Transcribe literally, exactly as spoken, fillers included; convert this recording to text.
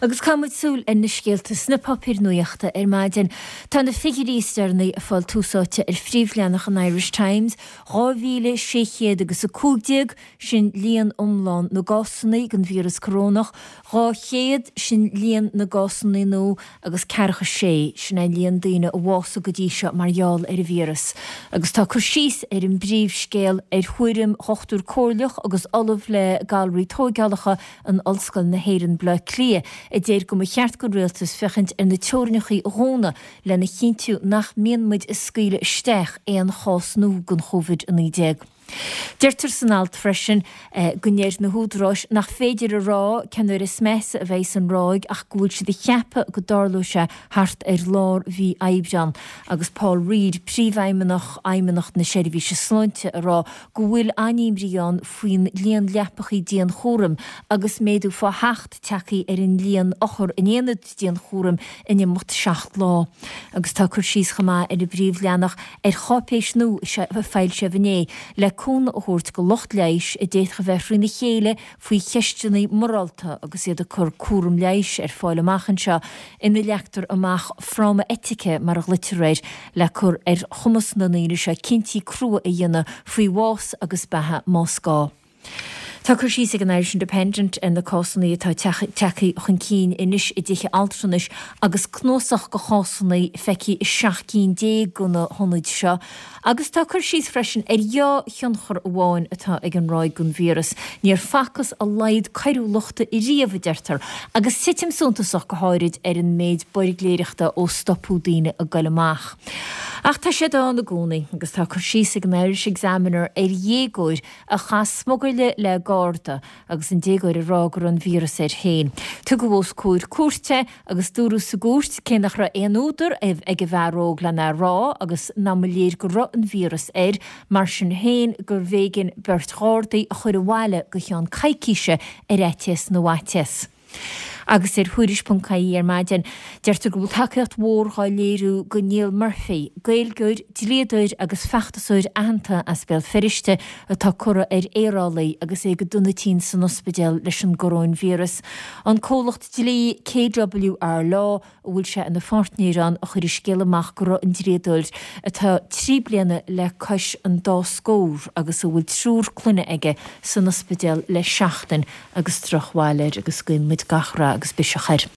Agus caithfidh muid súil ar na scéalta sna páipéir nuachta ar maidin. Tá na figiúirí is deireanaí ag fáil tús áite ar phríomhleathanach an Irish Times, dhá mhíle sé chéad agus a cúig déag, sin líon iomlán na gcásanna den víreas corónach, dhá chéad, sin líon na gcásanna nua, agus ceathracha sé, sin é líon daoine a bhásaigh go dtí seo mar gheall ar an víreas. Agus tá cur síos ar an bpríomhscéal ar thuairim Dhochtúir Comhairleach agus Ollamh le Galraí Tóigeálacha in Ollscoil na hÉireann, Baile Átha Cliath, a deir go mba cheart don rialtas féachaint ar na teorainneacha a dhúnadh lena chinntiú nach mbíonn muid ag scaoileadh isteach aon chás nua den Chóivid a naoi déag. Deirtear san alt freisin go ndeir na húdaráis nach féidir a rá cén uair is measa a bheidh an ráig ach go bhfuil siad ag ceapadh go dtarlóidh sé thart ar lár mhí Aibreán agus Paul Reid, Príomhfheidhmeannach Fheidhmeannacht na Seirbhíse Sláinte ag rá go bhfuil an-imní ann faoin líon leapachaí dianchúraim agus méadú fá sheacht tagtha ar an líon othar in aonad dianchúraim in imeacht seacht lá. Agus tá cur síos chomh maith ar an bpríomhleathanach ar cháipéis nua a foilsíodh inné le cúnamh a thabhairt go lucht leighis a d'fhéadfadh a bheith thrína chéile faoi cheisteanna morálta agus iad ag cur cúram leighis ar fáil amach anseo ina leagtar amach fráma eitice mar a ghlaoitear air le cur ar chumas na ndaoine seo cinntí crua a dhéanamh faoi bhás agus beatha más gá. Tá cur síos ag an Irish Independent ar na cásanna atá tagtha chun cinn anois i dtithe altranais agus cnuasach de chásanna feicthe i seacht gcinn déag de na hionaid seo. Agus tá cur síos freisin ar dhá thionchar amháin atá ag an ráig den víreas. Níor facthas a laghad coiriúlachta riamh, a deirtear, agus titim suntasach go háirid ar an méid buirgléireachta ó stopadh daoine ag goil amach. Ach tá siad ann i gcónaí agus tá cur síos ag an Irish Examiner ar dhéagóir a chaith smugairle le garda agus an déagóir ag rá go raibh an víreas air féin. Tugadh os comhair cúirte agus dúradh sa gcúirt cé nach raibh aon údar ag an bhfear óg lena rá agus nach mba léir go raibh an víreas air, mar sin féin gurbh éigean beirt ghardaí a chur abhaile go ceann coicíse ar fhaitíos na bhfaitíos. Agus ar Thuairisc ponc ie ar maidin, deirtear go bhfuil tacaíocht mhór dhá léiriú go Neil Murphy, Gaeilgeoir, dlíodóir agus feachtasóir aitheanta as Béal Feirste atá curtha ar aerálaí agus é go dona tinn san ospidéal leis an gcoróinvíreas. An comhlacht dlí K W R Law, a bhfuil sé ina pháirtnéir ann, a chuir an scéal amach go raibh an dlíodóir, atá trí bliana le cois an dá scór agus a bhfuil triúr clainne aige, san ospidéal le seachtain agus drochbhail air agus guíonn muid gach rath agus biseach air.